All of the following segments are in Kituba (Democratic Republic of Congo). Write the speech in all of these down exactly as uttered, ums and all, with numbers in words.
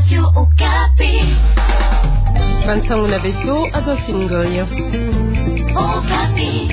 Radio Okapi. Bansango na beto, Adolphine Ngoy. Okapi.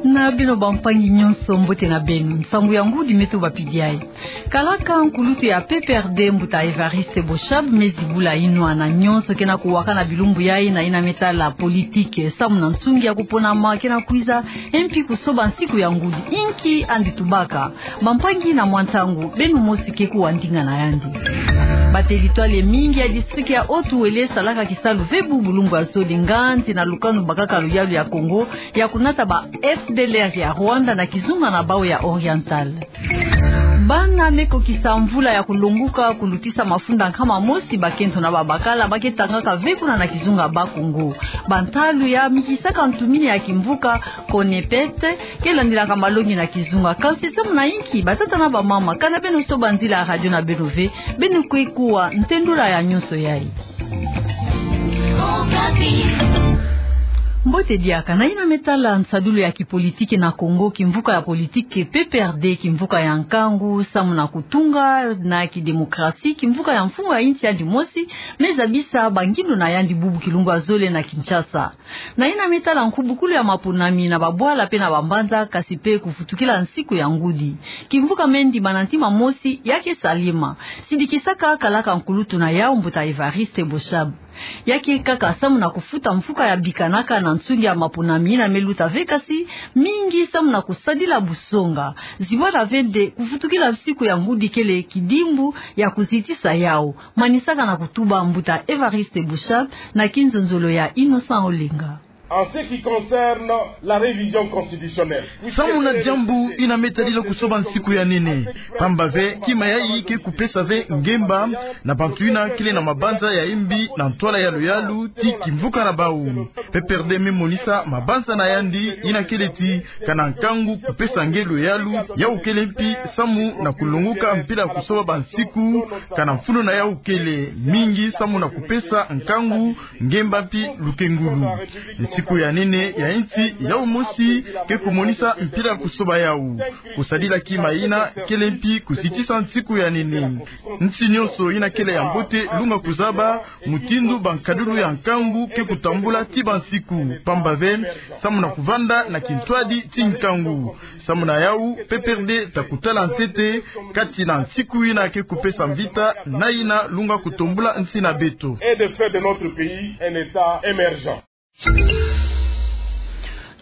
Na beno bampangi nyonso, mbote na beno. Nsangu ya ngudi me tubapidi yayi. Kalaka nkulutu ya P P R D, mbuta Évariste Boshab, me zibula inwa na nyonso ke na kuwaka na bilumbu yayi na yina me tala politique samu na nsungi ya kuponama ke na kwiza, e mpi kusoba nsiku ya ngudi. Inki andi tubaka? Bampangi, na mwa ntangu, beno mosi ke kuwa ndinga na yandi. Ba territoire mingi ya district ya Haut-Uélé salaka kisalu ve bubu lumbu ya zole, nganzi na lukanu bakaka luyalu ya Congo ya kunata ba F D L R ya Rwanda na kizunga na bawu ya Oriental. Bana me kokisa mvula ya kulonguka kulutisa mafunda nkama mosi, bakento na babakala, ba ke tangaka ve kuna na kizunga Bas-Congo. Bantalu ya mikisaka ntumini ya kimvuka Konepet ke landilaka malongi na kizunga. Kansi samu na inki? Batata na bamama, kana beno soba nzila ya radio na beno ve, beno kwe kuwa ntendula ya nyonso yayi. Mbote diaka. Na yina me tala nsadulu ya kipolitique na Congo, kimvuka ya politique P P R D, kimvuka ya nkangu samu na kutunga na kidemokrasi, kimvuka ya mfumu ya insi yandi mosi, me zabisa bangindo na yandi bubu kilumbu ya zole na Kinshasa. Na yina me tala nkubukulu ya maponami na babwala pe na bambanza, kansi pe kuvutukila nsiku ya ngudi. Kimvuka me ndima na ntima mosi ya ke salema. Sidikisaka kalaka nkulutu na yawu, mbuta Évariste Boshab. Ya ke kaka samu na kufuta mfuka ya bikanaka na nsungi ya maponami yina me luta ve, kansi mingi samu na kusadila busonga. Zibwala ve nde kuvutukila nsiku ya ngudi kele kidimbu ya kuzitisa yawu. Manisaka na kutuba mbuta Évariste Boshab na kinzonzolo ya Innocent Olenga. En ce qui concerne la révision constitutionnelle, samu na diambu yina me tadila kusoba nsiku ya nene, pamba ve kima yayi ke kupesa ve ngemba na bantu yina kele na mabanza ya imbi na ntwala ya luyalu ti kimvuka na bawu. P P R D me monisa mabanza na yandi yina kele ti kana nkangu kupesa nge luyalu, yawu kele mpi samu na kulonguka mpila kusoba bansiku, kana mfunu na yawu kele mingi samu na kupesa nkangu, ngemba mpi lukengulu. Nsiku ya nene ya insi yawu mosi ke kumonisa mpila kusoba yawu. Kusadila kima yina kele mpi kuzitisa nsiku ya nene. Nsi nyonso yina kele ya mbote lunga kuzaba mutindu bankadulu ya nkangu ke kutambula ti bansiku, pamba ve samu na kuvanda na kintwadi ti nkangu. Samu na yawu, P P R D ta kutala ntete kati na nsiku yina ke kupesa mvita na yina lunga kutombula nsi na beto. Et de faire de notre pays un État émergent.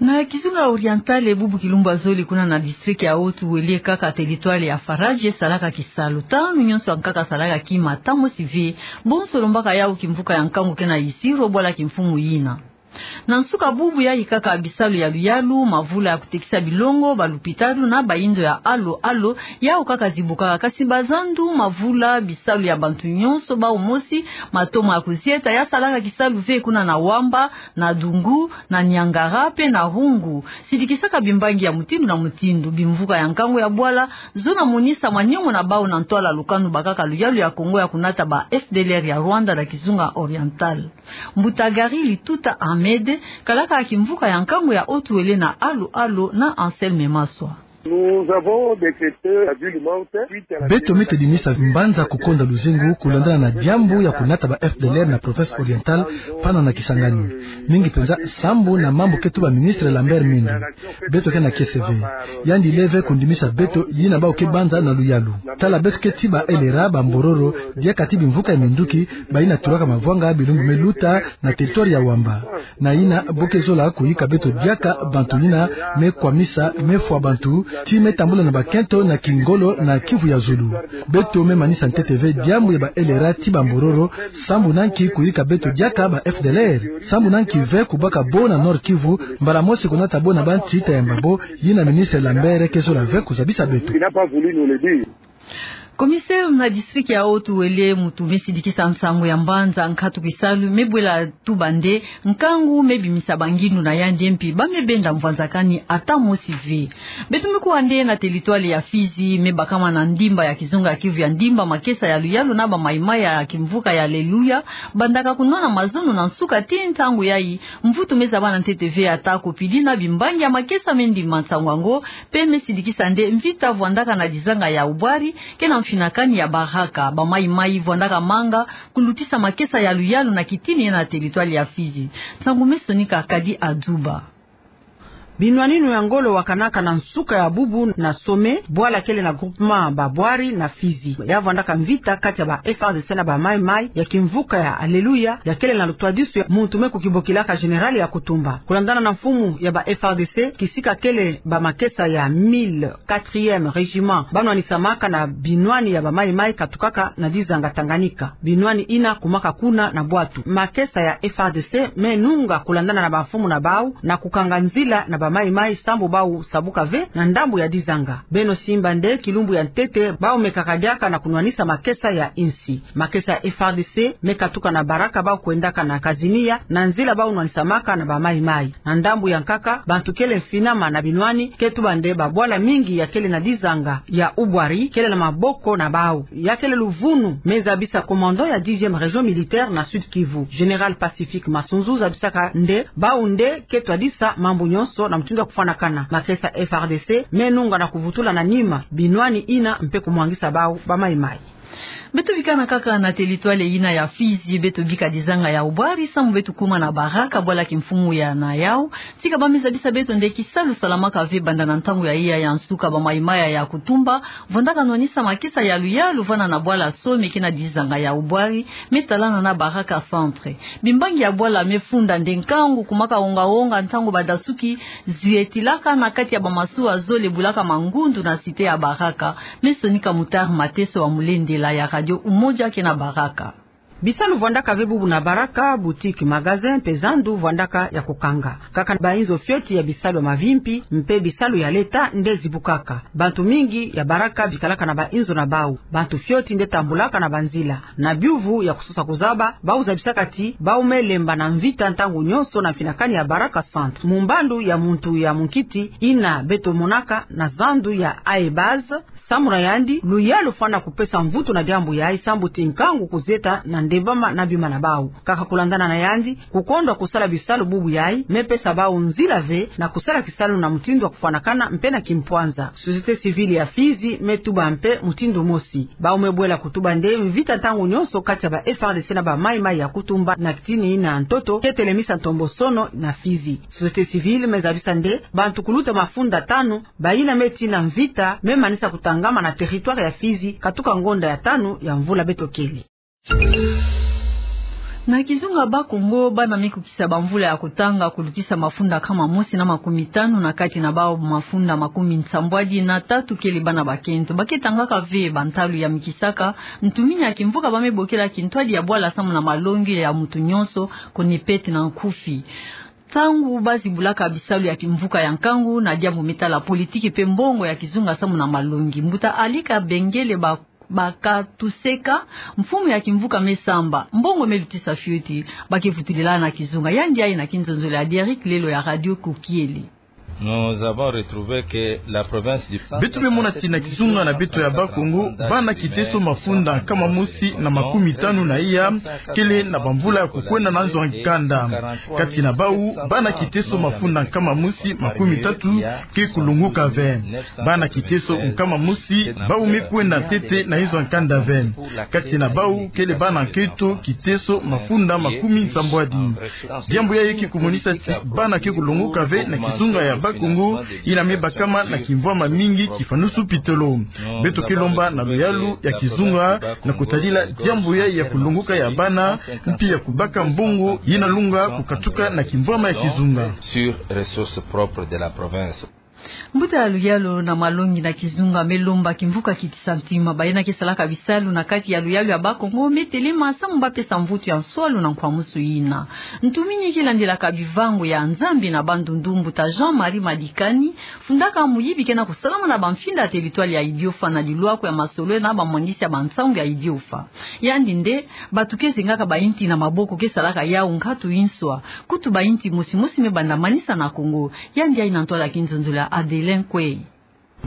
Na kizunga Oriental, bubu kilumbu ya zole kuna na district ya Haut-Uélé, kaka territoire ya Faradje salaka kisalu. Tanu nyonso ya nkaka salaka kima, tanu mosi ve. Bonso lombaka yawu kimvuka ya nkangu ke na yisiro bwala kimfumu yina. Na nsuka bubu yayi kaka, bisalu ya luyalu, mavula ya kutekisa bilongo, balupitalu na bainzo ya alo alo, yawu kaka zibukaka. Kansi bazandu, mavula, bisalu ya bantu nyonso bawu mosi, matomo ya kuzieta, ya salaka kisalu ve kuna na Wamba, na Dungu, na Niangara pe na Houngou. Sidikisaka bimbangi ya mutindu na mutindu. Bimvuka ya nkangu ya bwala zona monisa maniongo na bawu na ntwala lukanu bakaka luyalu ya Congo ya kunata ba F D L R ya Rwanda na kizunga Oriental. Mbuta Gary Lituta Ahmed, kalaka ya kimvuka ya nkangu ya Haut-Uélé na alo alo na Anselme Maswa. Nous avons décrété la ville morte. Beto me tadimisa mbanza kukonda luzingu kulandana na diambu ya kunata ba F D L R na province Orientale, pana na Kisangani. Mingi penza sambu na mambu ke tuba ministre Lambert Mende. Beto ke na kiese ve. Yandi leve kundimisa beto yina bawu ke banza na luyalu. Tala beto ke ti ba L R A, ba Mbororo, diaka ti bimvuka ya minduki, bayina tulaka mavwanga bilumbu me luta na territoire ya Wamba. Na yina bo ke zola kuyika beto diaka bantu yina me kwamisa, me fwa bantu, ti me tambula na bakento na kingolo na Kivu ya zulu. Beto me manisa ntete ve diambu ya ba L R A ti ba Mbororo, sambu na nki kuyika beto diaka ba F D L R. Sambu na nki ve kubaka bo na Nord-Kivu, mbala mosi kunata bo na bansi ti yamba bo, yina ministre Lambert ke zola ve kuzabisa beto. Il n'a pas voulu nous le dire. Commissaire na district ya Haut-Uélé, muntu me sidikisa nsangu ya mbanza nkatu kisalu, me bwela tuba nde nkangu me bimisa bangindu na yandi, mpi ba me benda mvwanzakani ata mosi ve. Beto me kuwa nde na territoire ya Fizi, me bakama na ndimba ya kizunga ya Kivu ya ndimba, makesa ya luyalu na ba maï-maï ya kimvuka ya Alléluia bandaka kunwana mazono na nsuka ti ntangu yayi. Mvutu me zabana ntete ve, ata ko pidi na bimbangi ya makesa me ndima nsangu yango, mpe me sidikisa nde mvita vwandaka na dizanga ya Ubwari ke na mfinakani ya Baraka. Ba maï-maï vwandaka manga kulutisa makesa ya luyalu na kitini na territoire ya Fizi. Nsangu me sonika Kadi Adzuba. Binwaninu ya ngolo wakanaka na nsuka ya bubu na Sommet, bwala kele na groupement ba Bwari na Fizi. Ya vwandaka mvita kati ya ba F R D C na ba maï-maï ya kimvuka ya Alléluia, ya kele na lutwadisu ya muntu me kukibokilaka Général Yakutumba. Kulandana na mfumu ya ba F R D C, kisika kele ba makesa ya mille quatrième régiment ba nwanisamaka na binwani ya ba maï-maï katukaka na dizanga Tanganyika. Binwani ina kumaka kuna na bwatu. Makesa ya F R D C me nunga kulandana na bamfumu na bau na kukanga nzila na ba maï-maï sambu bau sabuka ve na ndambu ya dizanga. Beno simba nde kilumbu ya ntete bau me kakadiaka na kunwanisa makesa ya insi. Makesa ya F R D C me katuka na Baraka, bau kwendaka na Kazimia na nzila bau nwanisamaka na ba maï-maï. Na ndambu ya nkaka, bantu kele mfinama na binwani, ke tuba nde ba bwala mingi ya kele na dizanga ya Ubwari kele na maboko na bau. Ya kele luvunu me zabisa commandant ya dixième région militaire na Sud-Kivu, Général Pacifique Masunzu, zabisaka nde bau nde ke twadisa mambu nyonso na mutindu ya kufwanakana. Makesa F R D C me nunga na kuvutula na nima binwani ina mpe kumwangisa bau ba maï-maï. Beto bikana kaka na territoire ina ya Fizi, beto bika dizanga ya Ubwari sambu beto kuma na Baraka, bwala kimfumu ya na yau. Tika ba me zabisa beto nde kisalu salamaka ve banda na ntangu ya iya ya nsuka ba maï-maï ya Yakutumba vwandaka nwanisa makesa ya luyalu vana na bwala Sommet ke na dizanga ya Ubwari me talana na Baraka Centre. Bimbangi ya bwala me funda nde nkangu kumaka wonga-wonga ntangu badasuki zietilaka na kati ya ba masuwa zole bulaka mangundu na cité ya Baraka. Me sonika Mutari Mateso wa Mulendela ya Radio Umoja ke na Baraka. Bisalu vwandaka ve bubu na Baraka, boutique, magasin mpe zandu vwandaka ya kukanga. Kaka bainzo fioti ya bisalu ya mavimpi mpe bisalu ya leta nde zibukaka. Bantu mingi ya Baraka bikalaka na bainzo na bau. Bantu fioti nde tambulaka na banzila. Na biuvu ya kusosa kuzaba, bau zabisaka ti bau me lemba na mvita ntangu nyonso na mfinakani ya Baraka Centre. Mu mbandu ya muntu ya munkiti ina beto monaka na zandu ya Aebaz, samu na yandi, luyalu fwana kupesa mvutu na diambu yayi sambu ti nkangu kuzieta na ndembama na bima na bau. Kaka kulandana na yandi, kukondwa kusala bisalu bubu yayi me pesa bau nzila ve na kusala kisalu na mutindu wa kufwanakana mpe na kimpwanza. Société civile ya Fizi me tuba mpe mutindu mosi. Bau me bwela kutuba nde mvita ntangu nyonso kati ya ba F R D C na ba maï-maï ya Yakutumba na kitini na ntoto ke telemisa ntombosono na Fizi. Société civile me zabisa nde bantu kuluta mafunda tanu bayina me tina mvita me manisa kutangama na territoire ya Fizi katuka ngonda ya tanu ya mvula beto kele. Na kizunga Bas-Congo, bana me kukisa bamvula ya kutanga kulutisa mafunda nkama mosi na makumi tanu, na kati na bau mafunda makumi nsambwadi na tatu kele bana bakento. Ba ke tangaka ve bantalu ya mikisaka ntumini ya kimvuka ba me bokela kintwadi ya bwala samu na malongi ya muntu nyonso, konipete na nkufi. Ntangu ba zibulaka bisalu ya kimvuka ya nkangu na diambu me tala politiki mpe mbongo ya kizunga samu na malongi, mbuta Alika Bengele ba Bakatuseka, mfumu ya kimvuka me samba, mbongo me lutisa fioti, ba ke vutulila na kizunga. Yandi aye na kinzonzolo ya Derrick Lelo ya Radio Kokiele. Nous avons retrouvé que la province du Centre. Beto me mona ti na kizunga na beto ya Bas-Congo, bana kiteso mafunda nkama mosi na makumi tanu na iya kele na bamvula ya kukwenda na nzo ya nkanda. Kati na bau, bana kiteso mafunda nkama mosi makumi tatu ke kulongoka ve. Bana kiteso nkama mosi bau me kwenda ntete na nzo ya nkanda ve. Kati na bau kele bana nkento kiteso mafunda makumi nsambwadi. Diambu yayi ke kumonisa ti bana ke kulongoka ve na kizunga ya Bas-Congo, yina me bakama na kimvwama mingi kifanusu pitolo. Beto ke lomba na luyalu ya kizunga na kutadila diambu yayi ya kulongoka ya bana, mpi ya kubaka mbongo yina lunga kukatuka na kimvwama ya kizunga. Sur ressources propres de la province. Mbuta ya luyalu na malongi na kizunga me lomba kimvuka kitisa ntima. Bayina ke salaka bisalu na kati ya luyalu ya Bakongo me telema samu ba pesa mvutu ya nswalu na nkwamusu yina. Ntumini ke landilaka bivango ya Nzambi na bandundu, mbuta Jean-Marie Madikani, fundaka muyibi ke na kusalama na bamfinda ya territoire ya Idiofa na lilwaku ya masolwele na bamwandisi ya bansangu ya Idiofa. Yandi nde, bantu ke zengaka ba inti na maboko ke salaka yawu nkatu inswa. Kutu ba inti mosi mosi me banda manisa na Kongo. Yandi ayina ntwala ya kinzonzolo ya Adelin Kwei.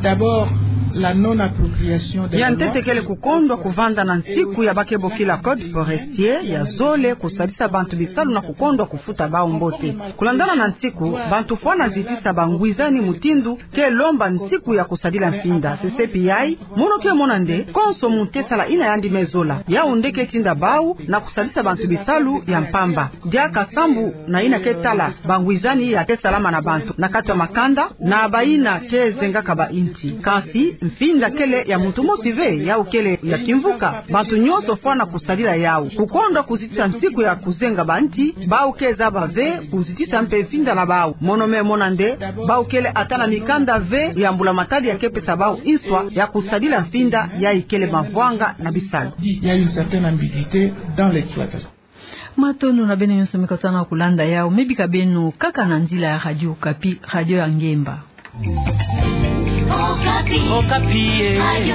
D'abord, la non-appropriation de la loi. Ya ntete kele kukondwa kuvanda na nsiku ya ba ke bokila code forestier, ya zole kusadisa bantu bisalu na kukondwa kufuta bawu mbote. Kulandana na nsiku, bantu fwana zitisa bangwizani mutindu ke lomba nsiku ya kusadila mfinda. Sesepi yayi, mono ke mona nde, konso muntu ke sala yina yandi me zola. Yawu nde ke tinda bawu na kusadisa bantu bisalu ya mpamba. Diaka sambu na yina ke tala bangwizani ya ke salama na bantu na kati ya makanda, na bayina ke zengaka ba inti. Kansi, mfinda kele ya muntu mosi ve, yawu kele ya kimvuka. Bantu nyonso fwana kusadila yawu. Kukondwa kuzitisa nsiku ya kuzenga ba inti, bawu ke zaba ve kuzitisa mpe mfinda na bawu. Mono me mona nde, bawu kele ata na mikanda ve ya mbula matadi ya ke pesa bawu inswa ya kusadila mfinda yayi kele mavwanga na bisalu. Il y a une certaine ambiguïté dans l'exploitation. Matondo na beno nyonso me kotana kulanda yawu, me bika beno kaka na nzila ya Radio Okapi, radio ya ngemba. Okapi. Okapi, eh. Radio